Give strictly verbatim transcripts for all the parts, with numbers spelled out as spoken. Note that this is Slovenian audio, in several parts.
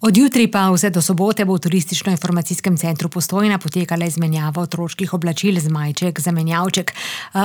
Od jutri pa vse do sobote bo v Turistično-informacijskem centru Postojna potekala izmenjava otroških oblačil Zmajček, Zamenjavček.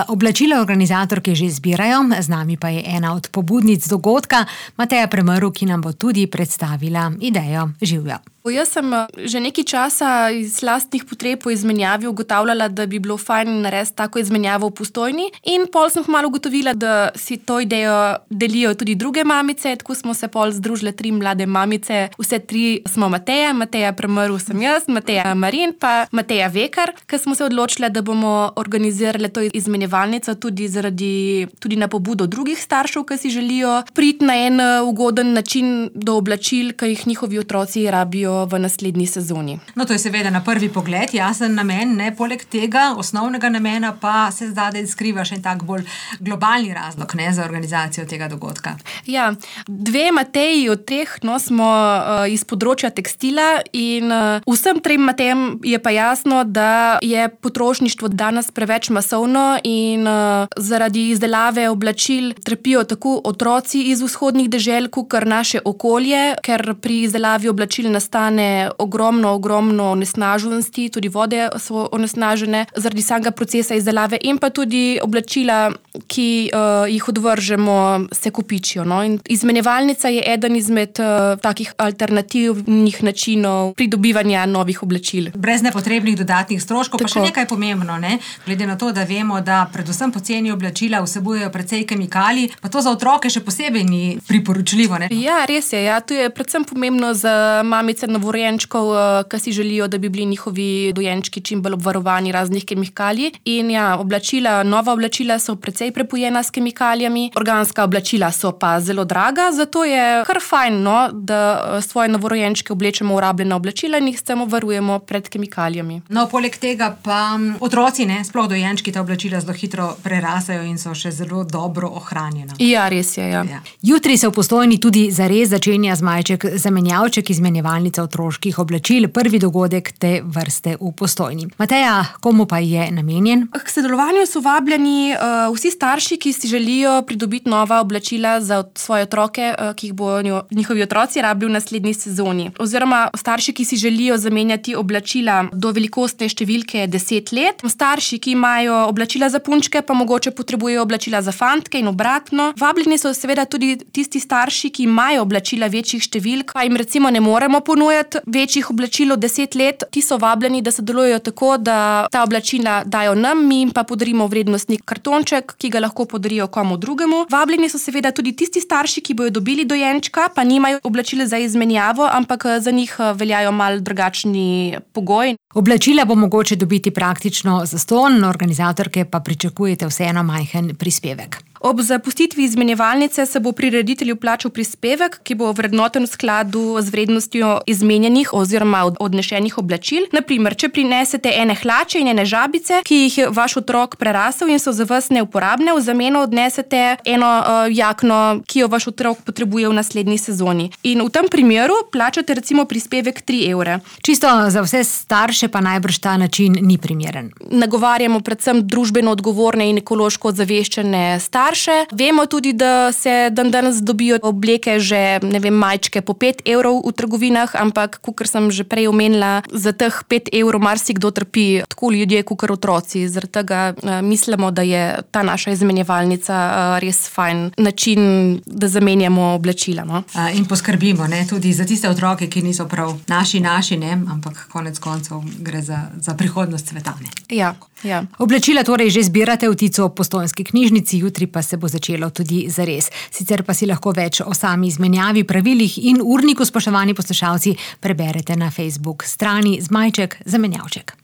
Oblačila organizatorke že zbirajo, z nami pa je ena od pobudnic dogodka, Mateja Premrl, ki nam bo tudi predstavila idejo. Živjo. Jaz sem že nekaj časa iz lastnih potreb po izmenjavi ugotavljala, da bi bilo fajn narediti tako izmenjavo v Postojni, in pol sem malo ugotovila, da si to idejo delijo tudi druge mamice, tako smo se pol združile tri mlade mamice, vse tri smo Mateja, Mateja Premrl sem jaz, Mateja Marin pa Mateja Vekar, ker smo se odločile, da bomo organizirali to izmenjevalnico tudi zaradi, tudi na pobudo drugih staršev, ki si želijo priti na en ugoden način do oblačil, ki jih njihovi otroci rabijo v naslednji sezoni. No, to je seveda na prvi pogled jasen namen, ne, poleg tega osnovnega namena pa se zdaj skriva še en tak bolj globalni razlog, ne, za organizacijo tega dogodka. Ja, dve Mateji od teh, no, smo uh, iz področja tekstila in uh, vsem trem Matejem je pa jasno, da je potrošništvo danes preveč masovno in uh, zaradi izdelave oblačil trpijo tako otroci iz vzhodnih dežel, kakor naše okolje, ker pri izdelavi oblačil nastane ogromno, ogromno onesnaženosti, tudi vode so onesnažene zaradi samega procesa izdelave in pa tudi oblačila, ki uh, jih odvržemo, se kopičijo. No? In izmenjevalnica je eden izmed uh, takih alternativnih načinov pridobivanja novih oblačil. Brez nepotrebnih dodatnih stroškov. Tako. Pa še nekaj pomembno, ne? Glede na to, da vemo, da predvsem poceni oblačila vsebujejo precej kemikalij, pa to za otroke še posebej ni priporočljivo. Ne? Ja, res je. Ja. To je predvsem pomembno za mamice novorojenčkov, ki si želijo, da bi bili njihovi dojenčki čim bolj obvarovani raznih kemikalij. In ja, oblačila, nova oblačila so precej prepojena s kemikalijami, organska oblačila so pa zelo draga, zato je kar fajn, no, da svoje novorojenčke oblečemo v rabljena oblačila in jih s tem obvarujemo pred kemikalijami. No, poleg tega pa otroci, ne, sploh dojenčki, ta oblačila zelo hitro prerasajo in so še zelo dobro ohranjena. Ja, res je, ja. Ja. Jutri se v Postojni tudi zares začenja Zmajček, Zamenjavček, izmenjevalnica otroških oblačil, prvi dogodek te vrste v Postojni. Mateja, komu pa je namenjen? K sodelovanju so vabljeni uh, vsi starši, ki si želijo pridobiti nova oblačila za svoje otroke, uh, ki jih bo njihovi otroci rabili v naslednji sezoni. Oziroma starši, ki si želijo zamenjati oblačila do velikostne številke deset let. Starši, ki imajo oblačila za punčke, pa mogoče potrebujejo oblačila za fantke in obratno. Vabljeni so seveda tudi tisti starši, ki imajo oblačila večjih številk, pa jim recimo ne moremo ponujati večjih oblačil od deset let. Ti so vabljeni, da sodelujejo tako, da ta oblačila dajo nam, mi jim pa podarimo vrednostni kartonček, ki ga lahko podarijo komu drugemu. Vabljeni so seveda tudi tisti starši, ki bojo dobili dojenčka, pa nimajo oblačila za izmenjavo, ampak za njih veljajo malo drugačni pogoji. Oblačila bo mogoče dobiti praktično zastonj, organizatorke pa pričakujete vseeno majhen prispevek. Ob zapustitvi izmenjevalnice se bo prireditelju plačal prispevek, ki bo vrednoten v skladu z vrednostjo izmenjenih oziroma odnešenih oblačil. Na primer, če prinesete ene hlače in ene žabice, ki jih je vaš otrok prerasel in so za vas neuporabne, v zameno odnesete eno uh, jakno, ki jo vaš otrok potrebuje v naslednji sezoni. In v tem primeru plačate recimo prispevek tri evre. Čisto za vse starše pa najbrž ta način ni primeren. Nagovarjamo predvsem družbeno odgovorne in ekološko ozaveščene starše. Vemo tudi, da se dan danes dobijo obleke že, ne vem, majčke po pet evrov v trgovinah, ampak, kakor sem že prej omenila, za teh pet evrov marsikdo trpi, tako ljudje, kakor otroci. Zaradi tega uh, mislimo, da je ta naša izmenjevalnica uh, res fajn način, da zamenjamo oblačila. No? Uh, in poskrbimo, ne, tudi za tiste otroke, ki niso prav naši, naši, ne, ampak konec koncev gre za, za prihodnost sveta. Ne. Ja, ja. Oblačila torej že zbirate v Tico v Postojnski knjižnici, jutri pa se bo začelo tudi zares. Sicer pa si lahko več o sami izmenjavi, pravilih in urniku, spoštovani poslušalci, preberete na Facebook strani Zmajček, Zamenjavček.